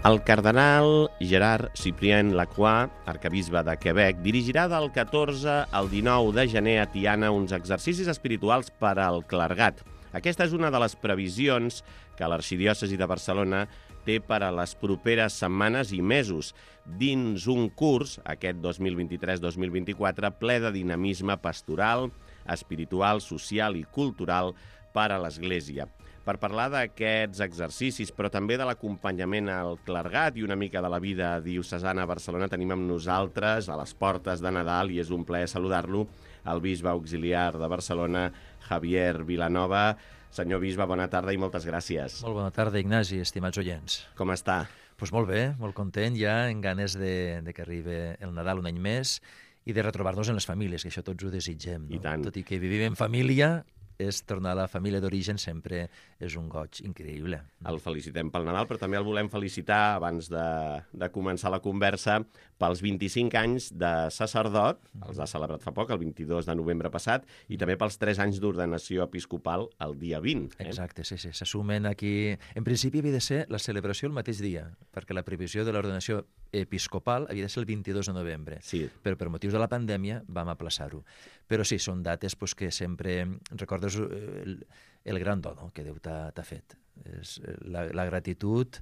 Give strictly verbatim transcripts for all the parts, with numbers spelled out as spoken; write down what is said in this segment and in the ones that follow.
El cardenal Gerard Cyprien Lacroix, arquebisbe de Quebec, dirigirà del catorze al dinou de gener a Tiana uns exercicis espirituals per al clergat. Aquesta és una de les previsions que l'Arxidiòcesi de Barcelona té per a les properes setmanes i mesos, dins un curs, aquest dos mil vint-i-tres dos mil vint-i-quatre, ple de dinamisme pastoral, espiritual, social i cultural per a l'Església. Per parlar d'aquests exercicis, però també de l'acompanyament al clergat i una mica de la vida diocesana a Barcelona, tenim amb nosaltres, a les portes de Nadal, i és un plaer saludar-lo, el bisbe auxiliar de Barcelona, Javier Vilanova. Senyor bisbe, bona tarda i moltes gràcies. Molt bona tarda, Ignasi, estimats oients. Com està? Pues molt bé, molt content ja, en ganes de, de que arribi el Nadal un any més i de retrobar-nos en les famílies, que això tots ho desitgem. No? I tant. Tot i que vivim en família, és tornar a la família d'origen sempre és un goig increïble. El felicitem pel Nadal, però també el volem felicitar, abans de, de començar la conversa, pels vint-i-cinc anys de sacerdot, els ha celebrat fa poc, el vint-i-dos de novembre passat, i també pels tres anys d'ordenació episcopal el dia vint. Eh? Exacte, sí, sí. S'assumen aquí... En principi havia de ser la celebració el mateix dia, perquè la previsió de l'ordenació episcopal havia de ser el vint-i-dos de novembre, sí. Però per motius de la pandèmia vam aplaçar-ho. Però sí, són dates pues, que sempre recordes el, el gran do, no?, que Déu t'ha fet. És la, la gratitud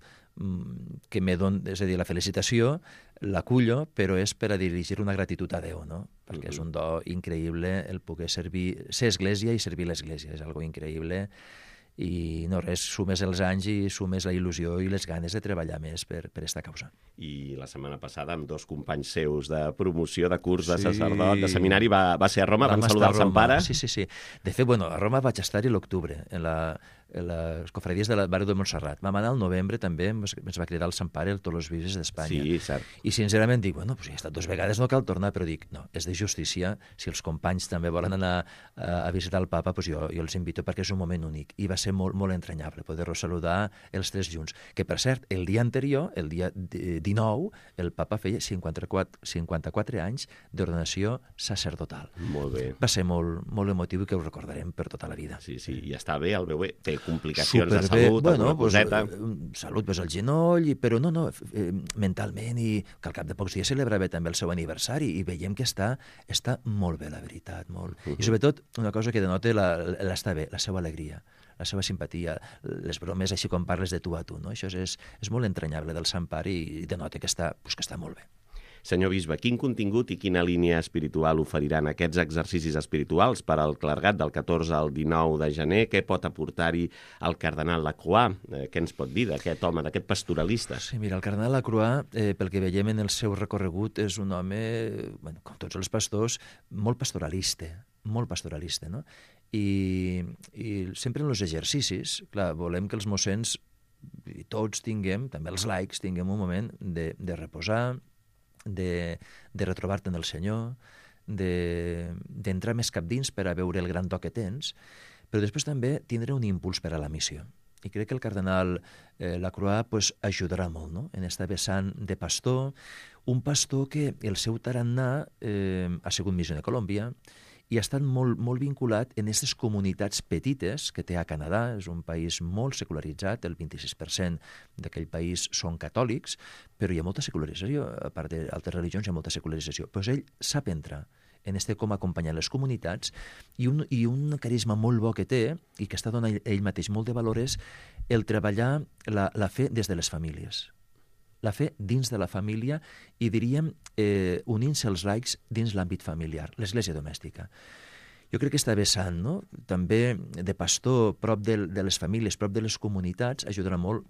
que me don, és a dir, la felicitació l'acullo, però és per a dirigir una gratitud a Déu, no? Perquè uh-huh. és un do increïble el poder servir, ser església i servir l'església, és algo increïble. I no res, sumes els anys i sumes la il·lusió i les ganes de treballar més per, per esta causa. I la setmana passada, amb dos companys seus de promoció de curs de sí. sacerdot, de seminari, va, va ser a Roma, van saludar el Sant Pare. Sí, sí, sí. De fet, bueno, a Roma vaig estar-hi l'octubre, en la... les cofradies de la Baró de Montserrat. Vam anar al novembre també, ens va cridar el Sant Pare a tots els bisbes d'Espanya. Sí, cert. I sincerament dic, bueno, pues ja he estat dues vegades, no cal tornar, però dic, no, és de justícia, si els companys també volen anar a visitar el papa, pues jo, jo els invito perquè és un moment únic. I va ser molt, molt entranyable poder-los saludar els tres junts. Que, per cert, el dia anterior, el dia dinou, el papa feia cinquanta-quatre, cinquanta-quatre anys d'ordenació sacerdotal. Molt bé. Va ser molt, molt emotiu i que ho recordarem per tota la vida. Sí, sí, i està bé, el veu bé. Té complicacions Superbé. de salut, bueno, alguna pues, coseta. Salut, pues, al genoll, i, però no, no, eh, mentalment, i que al cap de pocs dies celebrava també el seu aniversari, i veiem que està, està molt bé, la veritat, molt. Uh -huh. I sobretot, una cosa que denota l'estar bé, la seva alegria, la seva simpatia, les bromes així com parles de tu a tu, no? Això és, és molt entranyable del Sant Pare i denota que està, pues, que està molt bé. Senyor bisbe, quin contingut i quina línia espiritual oferiran aquests exercicis espirituals per al clergat del catorze al dinou de gener? Què pot aportar-hi el cardenal Lacroix? Eh, què ens pot dir d'aquest home, d'aquest pastoralista? Sí, mira, el cardenal Lacroix, eh, pel que veiem en el seu recorregut, és un home, bueno, com tots els pastors, molt pastoralista, molt pastoralista, no? I, i sempre en els exercicis, clar, volem que els mossens, i tots tinguem, també els laics, tinguem un moment de, de reposar, de, de retrobar-te en el Senyor, d'entrar de, més cap dins per a veure el gran do que tens, però després també tindre un impuls per a la missió. I crec que el cardenal eh, Lacroix pues, ajudarà molt, no?, en esta vessant de pastor, un pastor que el seu tarannà eh, ha sigut missió de Colòmbia, i ha estat molt, molt vinculat en aquestes comunitats petites que té a Canadà. És un país molt secularitzat, el vint-i-sis per cent d'aquell país són catòlics, però hi ha molta secularització, a part d'altres religions hi ha molta secularització. Però ell sap entrar en este com acompanyar les comunitats, i un, i un carisma molt bo que té, i que està donant ell mateix molt de valor, és el treballar la, la fe des de les famílies. La fe dins de la família i, diríem, eh, unint-se els laics dins l'àmbit familiar, l'església domèstica. Jo crec que està vessant, no?, també de pastor prop de, de les famílies, prop de les comunitats, ajudarà molt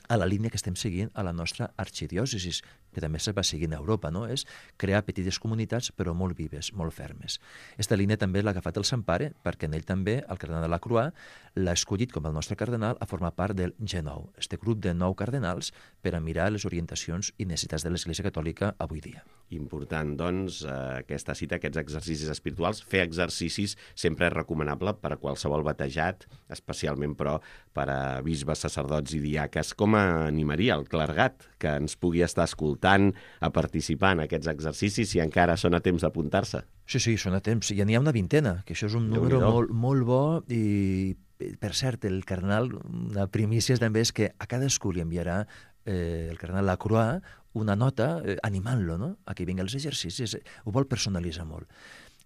a la línia que estem seguint a la nostra arxidiòcesis, que també se va seguint a Europa, no? És crear petites comunitats, però molt vives, molt fermes. Esta línia també l'ha agafat el Sant Pare, perquè en ell també, el cardenal Lacroix, l'ha escollit com el nostre cardenal a formar part del G nou, este grup de nou cardenals per a mirar les orientacions i necessitats de l'Església Catòlica avui dia. Important, doncs, aquesta cita, aquests exercicis espirituals. Fer exercicis sempre és recomanable per a qualsevol batejat, especialment, però, per a bisbes, sacerdots i diaques. Com animaria el clergat que ens pugui estar escoltant a participar en aquests exercicis, si encara són a temps d'apuntar-se? Sí, sí, són a temps. Ja n'hi ha una vintena, que això és un número molt, molt bo. I, per cert, el cardenal, una primícia també és que a cadascú li enviarà eh, el cardenal Lacroix, una nota eh, animant-lo, no?, a que vingui als exercicis. Ho vol personalitzar molt.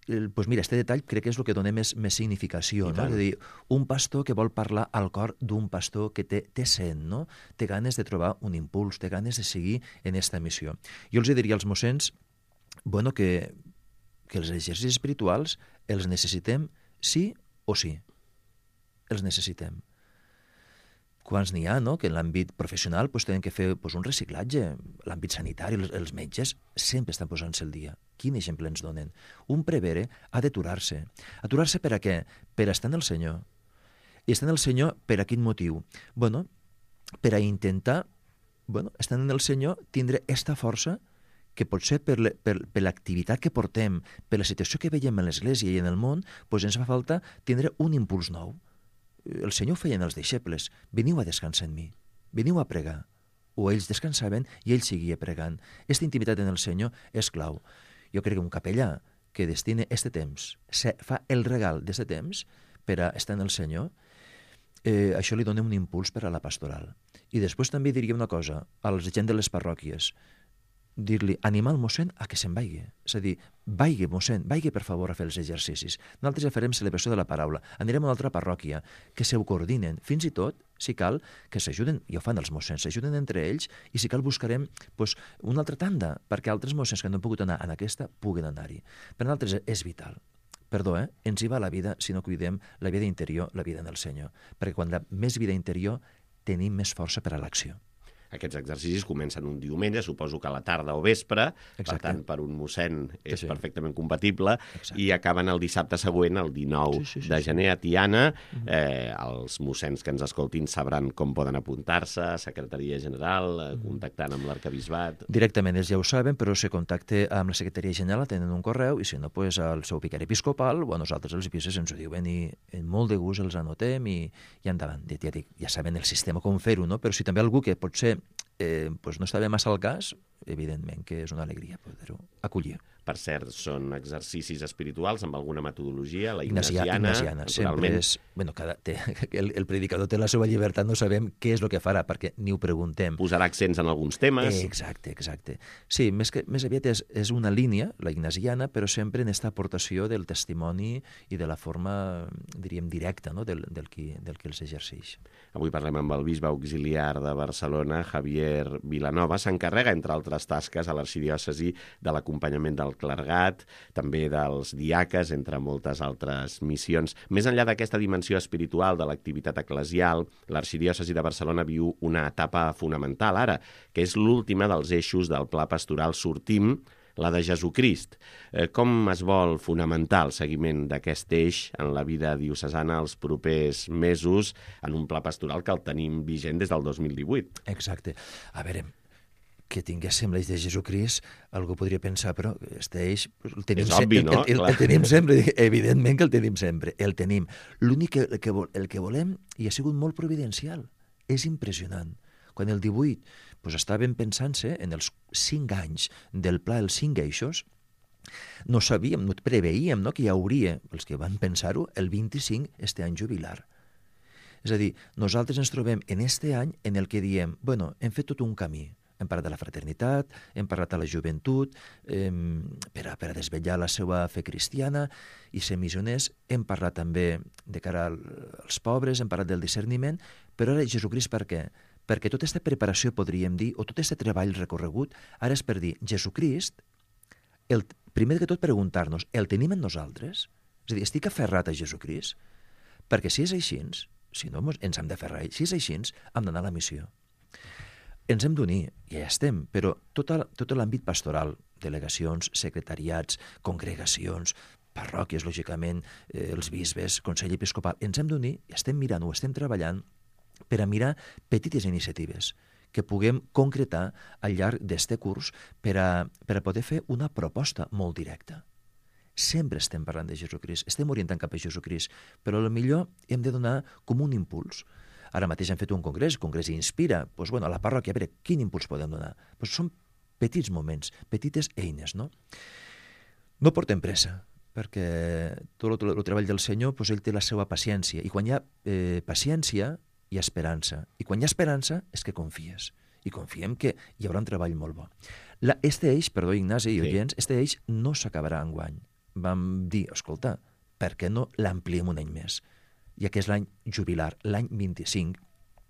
Eh, pues mira, este detall crec que és el que dona més, més significació, no? És a dir, un pastor que vol parlar al cor d'un pastor que té, té sent, no? Té ganes de trobar un impuls, té ganes de seguir en esta missió. Jo els diria als mossens, bueno, que, que els exercicis espirituals els necessitem sí o sí. Els necessitem. Quants n'hi ha, no?, que en l'àmbit professional pues, tenen que fer pues, un reciclatge. L'àmbit sanitari, els, els metges sempre estan posant-se al dia. Quin exemple ens donen? Un prevere ha d'aturar-se. Aturar-se per a què? Per estar en el Senyor. I estar en el Senyor per a quin motiu? Bueno, per a intentar, bueno, estant en el Senyor, tindre esta força que potser per, per, per l'activitat que portem, per la situació que veiem en l'Església i en el món, pues ens fa falta tindre un impuls nou. El Senyor ho feien els deixebles. Veniu a descansar en mi. Veniu a pregar. O ells descansaven i ell seguia pregant. Aquesta intimitat en el Senyor és clau. Jo crec que un capellà que destine este temps, fa el regal d'este temps per a estar en el Senyor, eh, això li dona un impuls per a la pastoral. I després també diria una cosa a la gent de les parròquies, dir-li, animar el mossèn a que se'n vagi. És a dir, vagi, mossèn, vagi per favor a fer els exercicis. Nosaltres ja farem celebració de la paraula. Anirem a una altra parròquia, que se ho coordinen. Fins i tot, si cal, que s'ajuden, i ho fan els mossens, s'ajuden entre ells, i si cal buscarem pues, una altra tanda, perquè altres mossens que no han pogut anar en aquesta puguen anar-hi. Per nosaltres és vital. Perdó, eh? Ens hi va la vida si no cuidem la vida interior, la vida en el Senyor. Perquè quan hi ha més vida interior, tenim més força per a l'acció. Aquests exercicis comencen un diumenge, suposo que a la tarda o vespre, Exacte. Per tant, per un mossèn és sí. perfectament compatible, Exacte. I acaben el dissabte següent, el dinou sí, sí, sí, de gener a Tiana. Sí. Eh, els mossens que ens escoltin sabran com poden apuntar-se, Secretaria General, eh, contactant amb l'Arquebisbat. Directament ells ja ho saben, però si contacte amb la Secretaria General tenen un correu, i si no, pues, al seu vicari episcopal o a nosaltres els episcopals ens ho diuen i en molt de gust els anotem i, i endavant. Ja, dic, ja saben el sistema com fer-ho, no? Però si també algú que potser eh, pues no estava massa al cas, evidentment que és una alegria poder-ho acollir. Per cert, són exercicis espirituals amb alguna metodologia, la ignasiana, ignasiana, ignasiana. Sempre és... Bueno, cada, té, el, el predicador té la seva llibertat, no sabem què és el que farà, perquè ni ho preguntem. Posarà accents en alguns temes. Eh, exacte, exacte. Sí, més, que, més aviat és, és una línia, la ignasiana, però sempre en aquesta aportació del testimoni i de la forma, diríem, directa, no?, del, del, qui, del qui els exerceix. Avui parlem amb el bisbe auxiliar de Barcelona, Javier Vilanova. S'encarrega, entre altres tasques, a l'arxidiòcesi de l'acompanyament del clergat, també dels diaques, entre moltes altres missions. Més enllà d'aquesta dimensió espiritual de l'activitat eclesial, l'arxidiòcesi de Barcelona viu una etapa fonamental ara, que és l'última dels eixos del pla pastoral Sortim, la de Jesucrist. Eh, com es vol fonamentar el seguiment d'aquest eix en la vida diocesana els propers mesos en un pla pastoral que el tenim vigent des del dos mil divuit? Exacte. A veure, que tinguéssim l'eix de Jesucrist, algú podria pensar, però este eix el tenim, és obvi, el, no? el, el, el tenim sempre, evidentment que el tenim sempre, el tenim. L'únic que, el que, el que volem, i ha sigut molt providencial, és impressionant. Quan el divuit pues, estàvem pensant-se en els cinc anys del pla, els cinc eixos, no sabíem, no preveíem no, que hi hauria, els que van pensar-ho, el vint-i-cinc este any jubilar. És a dir, nosaltres ens trobem en este any en el que diem, bueno, hem fet tot un camí, hem parlat de la fraternitat, hem parlat de la joventut, eh, per, a, per a desvetllar la seva fe cristiana i ser missioners, hem parlat també de cara als pobres, hem parlat del discerniment, però ara Jesucrist per què? Perquè tota aquesta preparació, podríem dir, o tot aquest treball recorregut, ara és per dir, Jesucrist, el, primer que tot preguntar-nos, el tenim en nosaltres? És a dir, estic aferrat a Jesucrist? Perquè si és així, si no ens hem d'aferrar, si és així, hem d'anar a la missió. Ens hem d'unir, ja estem, però tot, tot l'àmbit pastoral, delegacions, secretariats, congregacions, parròquies, lògicament, eh, els bisbes, Consell Episcopal, ens hem d'unir i estem mirant, ho estem treballant per a mirar petites iniciatives que puguem concretar al llarg d'este curs per a, per a poder fer una proposta molt directa. Sempre estem parlant de Jesucrist, estem orientant cap a Jesucrist, però potser hem de donar com un impuls. Ara mateix hem fet un congrés, el congrés Inspira, doncs, bueno, a la parròquia, a veure, quin impuls podem donar? Doncs són petits moments, petites eines, no? No portem pressa, perquè tot el, el treball del Senyor, doncs, ell té la seva paciència, i quan hi ha eh, paciència, hi ha esperança, i quan hi ha esperança és que confies, i confiem que hi haurà un treball molt bo. La, este eix, perdó, Ignasi i oients, sí. este eix no s'acabarà enguany. Vam dir, escolta, per què no l'ampliem un any més? Ja que és l'any jubilar, l'any vint-i-cinc,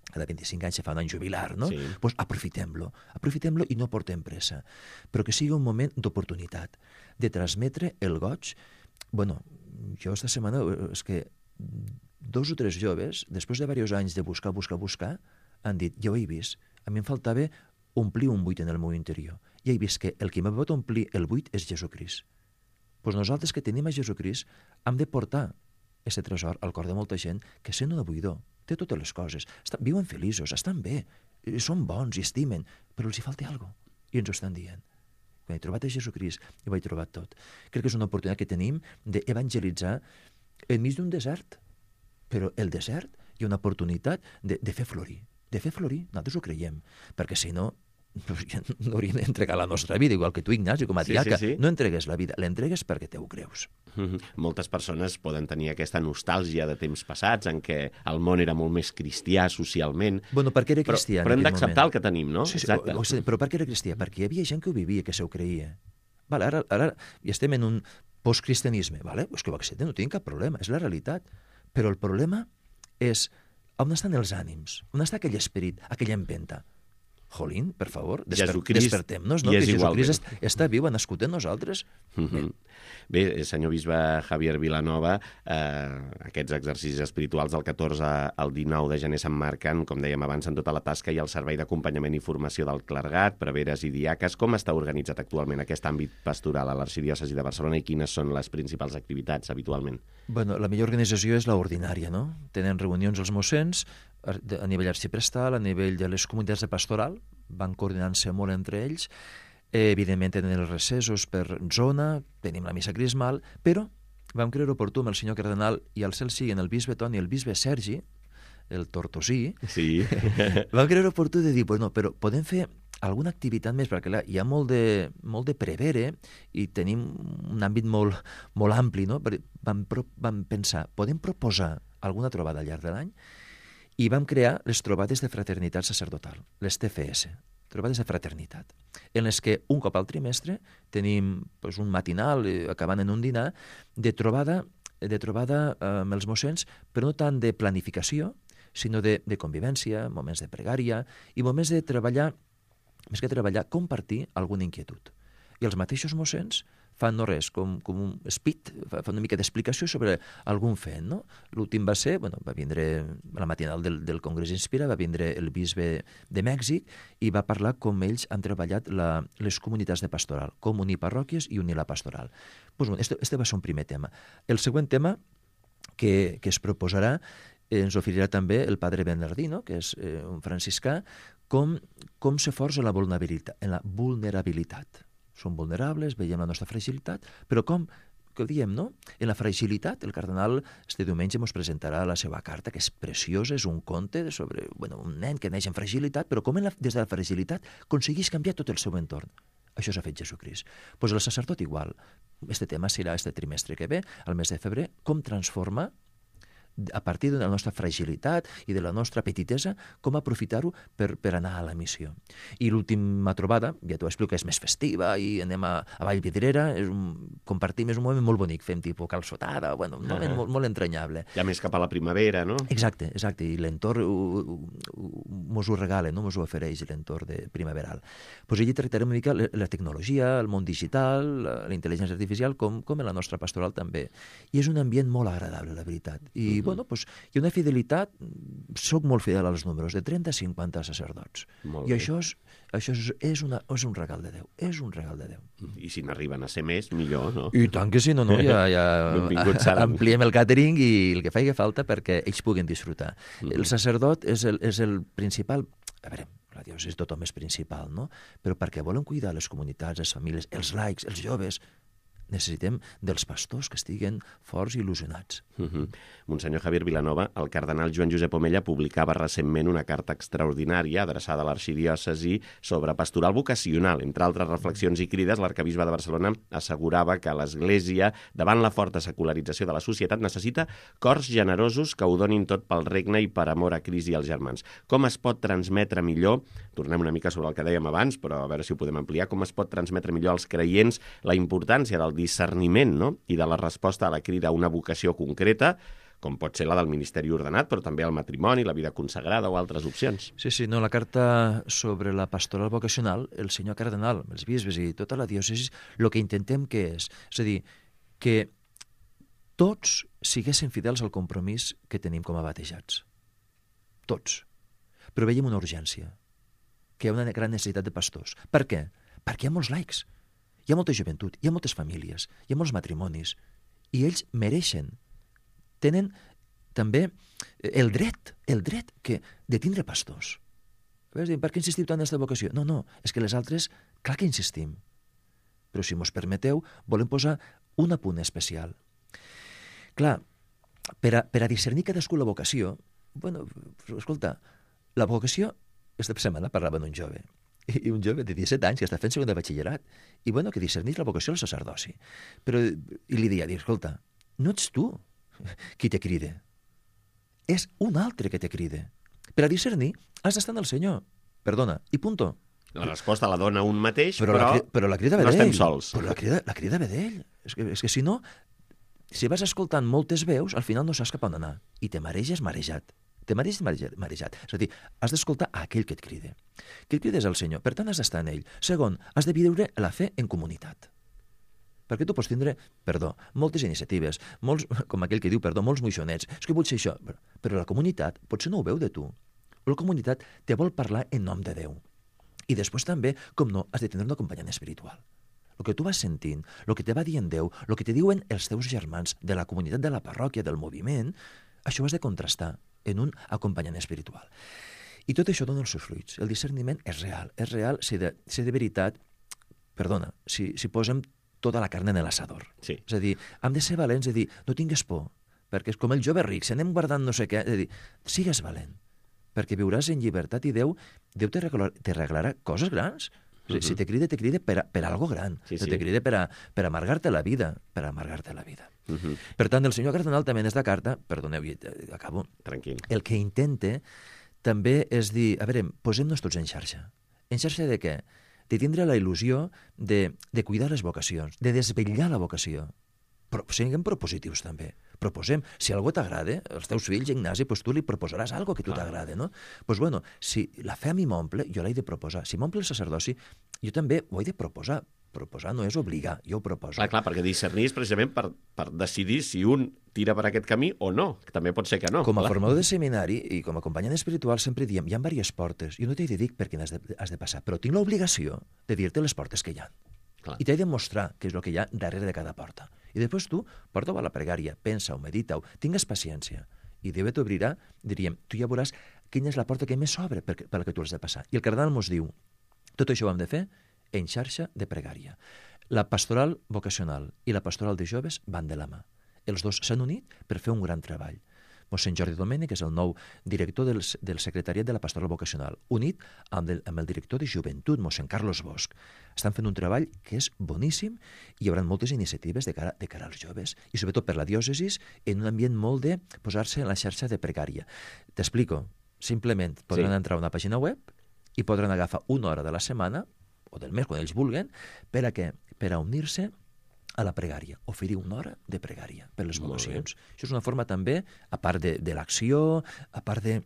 cada vint-i-cinc anys se fa un any jubilar, no? Doncs sí. pues aprofitem-lo, aprofitem-lo i no portem pressa, però que sigui un moment d'oportunitat, de transmetre el goig. Bueno, jo esta setmana és que dos o tres joves, després de diversos anys de buscar, buscar, buscar, han dit, jo he vist, a mi em faltava omplir un buit en el meu interior. Ja he vist que el que m'ha pot omplir el buit és Jesucrist. Doncs nosaltres que tenim a Jesucrist hem de portar aquest tresor al cor de molta gent que sent un buidor, té totes les coses, estan, viuen feliços, estan bé, són bons i estimen, però els hi falta alguna cosa, i ens ho estan dient. Quan he trobat a Jesucrist, ho he trobat tot. Crec que és una oportunitat que tenim d'evangelitzar enmig d'un desert, però el desert hi ha una oportunitat de, de fer florir, de fer florir, nosaltres ho creiem, perquè si no, no hauríem d'entregar la nostra vida, igual que tu, Ignasi, com a diaca. Sí, sí, sí. No entregues la vida, l'entregues perquè te ho creus. Mm-hmm. Moltes persones poden tenir aquesta nostàlgia de temps passats en què el món era molt més cristià socialment. Bueno, perquè era cristià però, però hem d'acceptar el que tenim, no? Sí, sí, o, o, però per què era cristià? Perquè hi havia gent que ho vivia, que se ho creia. Vale, ara, ara ja estem en un postcristianisme. Vale? És que ho acceptem, no tinc cap problema, és la realitat. Però el problema és on estan els ànims, on està aquell esperit, aquella empenta. Jolín, per favor, desper despertem-nos, no? Que Jesucrist que... està viu, ha nascut en nosaltres. Mm-hmm. Bé, senyor bisbe Javier Vilanova, eh, aquests exercicis espirituals del catorze al dinou de gener s'emmarquen, com dèiem abans, en tota la tasca i el servei d'acompanyament i formació del clergat, preveres i diaques. Com està organitzat actualment aquest àmbit pastoral a l'Arxidiòcesi de Barcelona i quines són les principals activitats habitualment? Bueno, la millor organització és l'ordinària, no? Tenen reunions els mossens, a nivell arxiprestal, a nivell de les comunitats de pastoral, van coordinant-se molt entre ells, eh, evidentment tenen els recessos per zona, tenim la missa crismal, però vam creure oportú amb el senyor cardenal i al cel sigui en el bisbe Toni i el bisbe Sergi, el tortosí, sí. vam creure oportú de dir, bueno, però podem fer alguna activitat més, perquè clar, hi ha molt de, molt de prevere i tenim un àmbit molt, molt ampli, no? Vam, vam pensar, podem proposar alguna trobada al llarg de l'any? I vam crear les trobades de fraternitat sacerdotal, les T F S, trobades de fraternitat, en les que un cop al trimestre tenim pues, un matinal, eh, acabant en un dinar, de trobada, de trobada eh, amb els mossens, però no tant de planificació, sinó de, de convivència, moments de pregària i moments de treballar, més que treballar, compartir alguna inquietud. I els mateixos mossens fan no res, com, com un speed, fan una mica d'explicació sobre algun fet, no? L'últim va ser, bueno, va vindre a la matinal del, del Congrés Inspira, va vindre el bisbe de Mèxic i va parlar com ells han treballat la, les comunitats de pastoral, com unir parròquies i unir la pastoral. Pues, bueno, este, este va ser un primer tema. El següent tema que, que es proposarà eh, ens oferirà també el padre Bernardino, que és eh, un franciscà, com, com se força la vulnerabilitat, en la vulnerabilitat. Som vulnerables, veiem la nostra fragilitat, però com, que ho diem, no? En la fragilitat, el cardenal este diumenge ens presentarà la seva carta, que és preciosa, és un conte sobre bueno, un nen que neix en fragilitat, però com en la, des de la fragilitat aconsegueix canviar tot el seu entorn. Això s'ha fet Jesucrist. Doncs pues el sacerdot igual. Este tema serà este trimestre que ve, al mes de febrer, com transformar a partir de la nostra fragilitat i de la nostra petitesa, com aprofitar-ho per, per anar a la missió. I l'última trobada, ja t'ho explico, és més festiva i anem a, a Vallvidrera, és un, compartim, és un moment molt bonic, fem tipus calçotada, bueno, un moment ah. molt, molt entranyable. Ja més cap a la primavera, no? Exacte, exacte, i l'entorn mos ho regala, no? Mos ho ofereix l'entorn de primaveral. Pues allí tractarem una mica la tecnologia, el món digital, la, la intel·ligència artificial, com, com en la nostra pastoral també. I és un ambient molt agradable, la veritat. I bueno, pues, hi ha una fidelitat, soc molt fidel als números, de trenta a cinquanta sacerdots. Molt I bé. això, és, això és, és, una, és un regal de Déu, és un regal de Déu. I si n'arriben a ser més, millor, no? I tant que sí, no, no, ja, ja ampliem el càtering i el que faci falta perquè ells puguen disfrutar. Mm-hmm. El sacerdot és el, és el principal, a veure, la diòcesi tothom és principal, no? Però perquè volen cuidar les comunitats, les famílies, els laics, els joves, necessitem dels pastors que estiguen forts i il·lusionats. Uh -huh. Monsenyor Javier Vilanova, el cardenal Joan Josep Omella publicava recentment una carta extraordinària adreçada a l'arxidiòcesi sobre pastoral vocacional. Entre altres reflexions i crides, l'arcabisbe de Barcelona assegurava que l'Església, davant la forta secularització de la societat, necessita cors generosos que ho donin tot pel regne i per amor a Crist i als germans. Com es pot transmetre millor, tornem una mica sobre el que dèiem abans, però a veure si ho podem ampliar, com es pot transmetre millor als creients la importància del discerniment, no?, i de la resposta a la crida a una vocació concreta, com pot ser la del ministeri ordenat, però també el matrimoni, la vida consagrada o altres opcions. Sí, sí, no, la carta sobre la pastoral vocacional, el senyor cardenal, els bisbes i tota la diòcesi, el que intentem que és, és a dir, que tots siguessin fidels al compromís que tenim com a batejats. Tots. Però veiem una urgència, que hi ha una gran necessitat de pastors. Per què? Perquè hi ha molts laics, hi ha molta joventut, hi ha moltes famílies, hi ha molts matrimonis, i ells mereixen, tenen també el dret, el dret que, de tindre pastors. Per què insistiu tant en aquesta vocació? No, no, és que les altres, clar que insistim. Però si mos permeteu, volem posar un apunt especial. Clar, per a, per a discernir cadascú la vocació, bueno, escolta, la vocació, aquesta setmana parlava d'un jove, i un jove de disset anys que està fent segon de batxillerat, i bueno, que discernís la vocació al sacerdoci. Però, i li deia, escolta, no ets tu qui te crida, és un altre que te crida. Per a discernir has d'estar en el Senyor, perdona, i punto. La resposta la dona un mateix, però, però, la, però la crida ve no d'ell. estem sols. Però la crida, la crida ve d'ell. És que, és que si no, si vas escoltant moltes veus, al final no saps cap on anar, i te mareges marejat. Te mareges marejat. És a dir, has d'escoltar aquell que et crida. Que et crida és el Senyor, per tant has d'estar en ell. Segon, has de viure la fe en comunitat. Perquè tu pots tindre, perdó, moltes iniciatives, molts, com aquell que diu, perdó, molts moixonets. És que vull ser això, però la comunitat potser no ho veu de tu. La comunitat te vol parlar en nom de Déu. I després també, com no, has de tenir un acompanyant espiritual. El que tu vas sentint, el que te va dient Déu, el que te diuen els teus germans de la comunitat, de la parròquia, del moviment, això ho has de contrastar en un acompanyant espiritual. I tot això dona els seus fruits. El discerniment és real. És real si de, si de veritat, perdona, si, si posem tota la carn en l'assador. Sí. És a dir, hem de ser valents, de dir, no tingues por, perquè és com el jove ric, si anem guardant no sé què, és a dir, sigues valent, perquè viuràs en llibertat i Déu, Déu te regalarà, te regalarà coses grans. Uh-huh. Si te crida, te crida per, a, per a algo gran. Sí, sí. sí. Te crida per, a, per amargar-te la vida, per amargar-te la vida. Uh-huh. Per tant, el senyor cardenal també en aquesta carta, perdoneu, acabo, Tranquil. el que intenta també és dir, a veure, posem-nos tots en xarxa. En xarxa de què? De tindre la il·lusió de, de cuidar les vocacions, de desvetllar la vocació. Però siguem propositius també. Proposem. Si algú t'agrada, els teus fills, Ignasi, doncs tu li proposaràs algo que tu t'agrada, no? Doncs bueno, si la fe a mi m'omple, jo l'he de proposar. Si m'omple el sacerdoci, jo també ho he de proposar. Proposar no és obligar, jo ho proposo. Clar, clar, perquè discernir és precisament per, per decidir si un tira per aquest camí o no, que també pot ser que no. Com a clar. formador de seminari i com a acompanyant espiritual sempre diem, hi ha diverses portes, jo no t'he de dir per quines has de, has de passar, però tinc l'obligació de dir-te les portes que hi ha. Clar. I t'he de mostrar què és el que hi ha darrere de cada porta. I després tu, porta-ho a la pregària, pensa-ho, medita-ho, tingues paciència. I Déu t'obrirà, diríem, tu ja veuràs quina és la porta que més s'obre per, per la que tu has de passar. I el cardenal mos diu, tot això ho hem de fer en xarxa de pregària. La pastoral vocacional i la pastoral de joves van de la mà. Els dos s'han unit per fer un gran treball. Mossèn Jordi Domènech és el nou director del, del secretariat de la pastoral vocacional, unit amb el, amb el director de joventut, mossèn Carlos Bosch. Estan fent un treball que és boníssim i hi haurà moltes iniciatives de cara, de cara als joves i sobretot per la diòcesis en un ambient molt de posar-se en la xarxa de pregària. T'explico. Simplement podran sí. entrar a una pàgina web i podran agafar una hora de la setmana o del mes, quan ells vulguen, per a què? Per a unir-se a la pregària, oferir una hora de pregària per les vocacions. Això és una forma també, a part de, de l'acció, a part de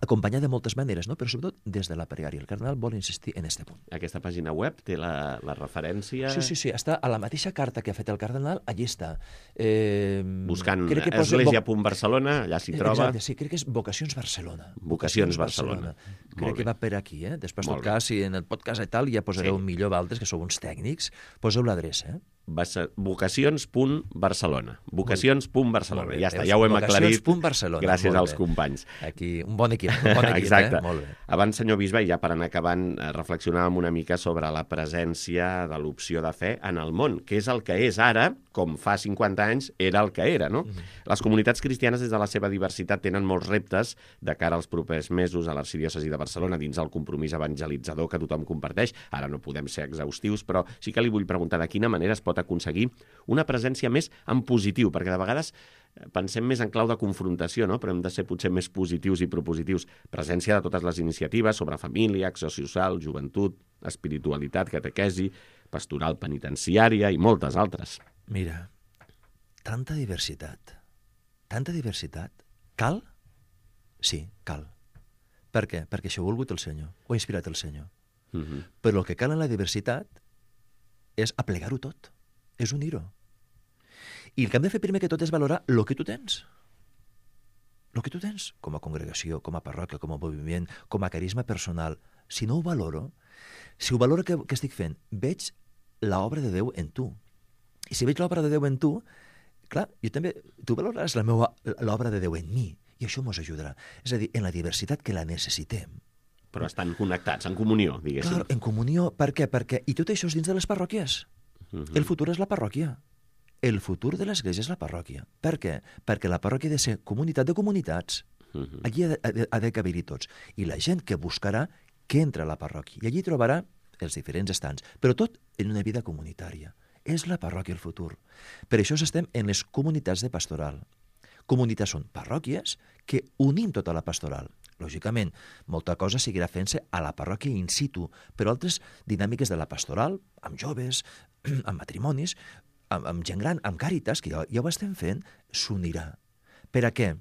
acompanyar de moltes maneres, no? Però sobretot des de la pregària. El cardenal vol insistir en aquest punt. Aquesta pàgina web té la, la referència... Sí, sí, sí, està a la mateixa carta que ha fet el cardenal, allí està. Eh, Buscant església punt barcelona, allà s'hi troba. Exacte, sí, crec que és Vocacions Barcelona. Vocacions Barcelona. Barcelona. Crec que va per aquí, eh? Després, en tot cas, si en el podcast i tal ja posareu sí. millor valtres, que sou uns tècnics, poseu l'adreça, eh? vocacions punt barcelona. vocacions punt barcelona. Ja està, ja ho hem aclarit. vocacions punt barcelona. Gràcies als companys. Aquí, un bon equip. equip, un bon equip, Exacte. eh? Molt bé. Abans, senyor bisbe, i ja per anar acabant, eh, reflexionàvem una mica sobre la presència de l'opció de fe en el món, que és el que és ara, com fa cinquanta anys era el que era, no? Mm. Les comunitats cristianes, des de la seva diversitat, tenen molts reptes de cara als propers mesos a l'arxidiòcesi de Barcelona, dins el compromís evangelitzador que tothom comparteix. Ara no podem ser exhaustius, però sí que li vull preguntar de quina manera es pot aconseguir una presència més en positiu, perquè de vegades pensem més en clau de confrontació, no? Però hem de ser potser més positius i propositius. Presència de totes les iniciatives sobre família, acció social, joventut, espiritualitat, catequesi, pastoral penitenciària i moltes altres. Mira, tanta diversitat, tanta diversitat. Cal? Sí, cal. Per què? Perquè això ho ha volgut el Senyor, ho ha inspirat el Senyor. Uh-huh. Però el que cal en la diversitat és aplegar-ho tot, és unir-ho. I el que hem de fer primer que tot és valorar el que tu tens. El que tu tens, com a congregació, com a parròquia, com a moviment, com a carisma personal. Si no ho valoro, si ho valoro que, que estic fent, veig l'obra de Déu en tu. I si veig l'obra de Déu en tu, clar, jo també, tu valoraràs la meva, l'obra de Déu en mi, i això ens ajudarà. És a dir, en la diversitat que la necessitem. Però estan connectats, en comunió, diguéssim. Clar, en comunió, per què? Perquè, i tot això és dins de les parròquies. Uh-huh. El futur és la parròquia. El futur de l'Església és la parròquia. Per què? Perquè la parròquia ha de ser comunitat de comunitats. Uh-huh. Allí ha de, ha de, ha de caber-hi tots. I la gent que buscarà que entra a la parròquia. I allí trobarà els diferents estants. Però tot en una vida comunitària. És la parròquia el futur. Per això estem en les comunitats de pastoral. Comunitats són parròquies que unim tota la pastoral. Lògicament, molta cosa seguirà fent-se a la parròquia in situ, però altres dinàmiques de la pastoral, amb joves, amb matrimonis, amb, amb gent gran, amb càritas, que ja, ja ho estem fent, s'unirà. Per a què?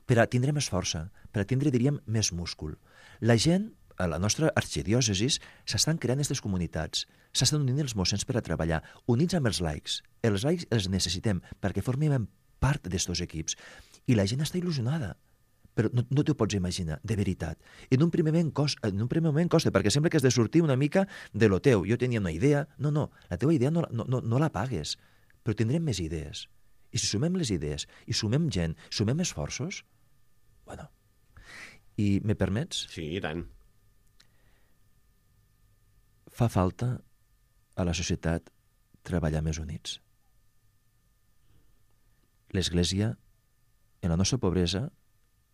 Per a tindre més força, per a tindre, diríem, més múscul. La gent, a la nostra arxidiòcesis, s'estan creant aquestes comunitats, s'estan unint els mossens per a treballar, units amb els laics. Els laics els necessitem perquè formem part d'estos equips. I la gent està il·lusionada. Però no, no t'ho pots imaginar, de veritat. En un primer moment costa, en un primer moment costa, perquè sembla que has de sortir una mica de lo teu. Jo tenia una idea. No, no, la teva idea no, no, no, no la pagues, però tindrem més idees. I si sumem les idees, i sumem gent, sumem esforços, bueno. I me permets? Sí, i tant. Fa falta a la societat treballar més units. L'Església, en la nostra pobresa,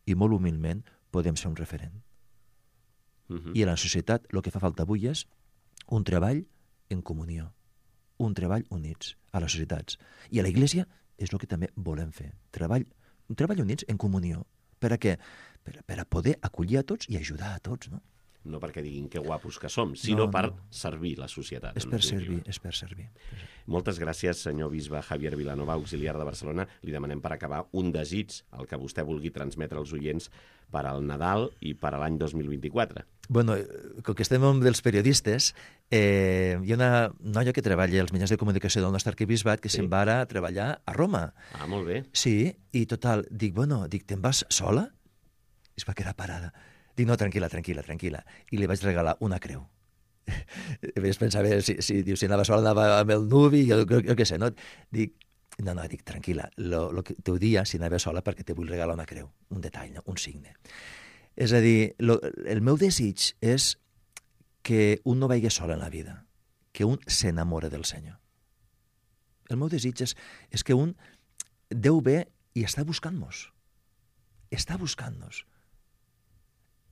i molt humilment podem ser un referent. Uh-huh. I a la societat el que fa falta avui és un treball en comunió, un treball units a les societats. I a la Iglésia és el que també volem fer, treball, un treball units en comunió. Per a què? Per, per a poder acollir a tots i ajudar a tots, no? No perquè diguin que guapos que som, sinó no, per no. servir la societat. És per servir, és per servir. Moltes gràcies, senyor bisbe Javier Vilanova, auxiliar de Barcelona. Li demanem per acabar un desig, el que vostè vulgui transmetre als oients per al Nadal i per a l'any dos mil vint-i-quatre. Bueno, com que estem dels periodistes, eh, hi ha una noia que treballa als mitjans de comunicació del nostre arquebisbat que sí. se'n va ara a treballar a Roma. Ah, molt bé. Sí, i total, dic, bueno, dic, te'n vas sola? I es va quedar parada. Dic, no, tranquil·la, tranquil·la, tranquil·la. I li vaig regalar una creu. Vaig pensar, a veure, si, si, diu, si anava sola, anava amb el nuvi, jo, jo, jo què sé, no? Dic, no, no, dic, tranquil·la, lo, lo que t'ho dia si anava sola perquè te vull regalar una creu, un detall, no? Un signe. És a dir, lo, el meu desig és que un no vagi sol en la vida, que un s'enamora del Senyor. El meu desig és, és que un Déu ve i està buscant-nos. Està buscant-nos.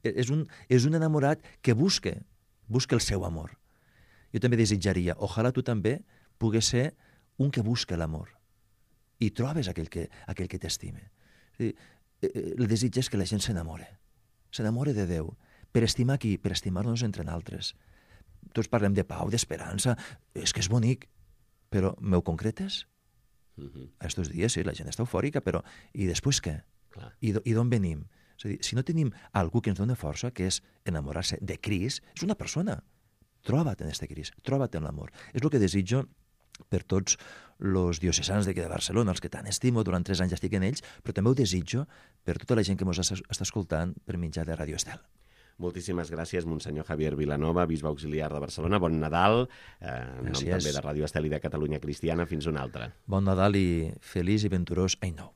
És un, és un enamorat que busca, busca el seu amor. Jo també desitjaria, ojalà tu també pugues ser un que busca l'amor i trobes aquell que, aquell que t'estime. El desig és que la gent s'enamore, s'enamore de Déu, per estimar qui? Per estimar-nos entre nosaltres. Tots parlem de pau, d'esperança, és que és bonic, però m'ho concretes? Uh-huh. A estos dies, sí, la gent està eufòrica, però i després què? Clar. I, I d'on venim? És a dir, si no tenim algú que ens dona força, que és enamorar-se de Crist, és una persona. Troba't en este Crist, troba't en l'amor. És el que desitjo per tots els diocesans de Barcelona, els que tant estimo, durant tres anys estic en ells, però també ho desitjo per tota la gent que ens està escoltant per mitjà de Ràdio Estel. Moltíssimes gràcies, Monsenyor Javier Vilanova, bisbe auxiliar de Barcelona. Bon Nadal, eh, en nom també de Ràdio Estel i de Catalunya Cristiana. Fins una altra. Bon Nadal i feliç i venturós any nou.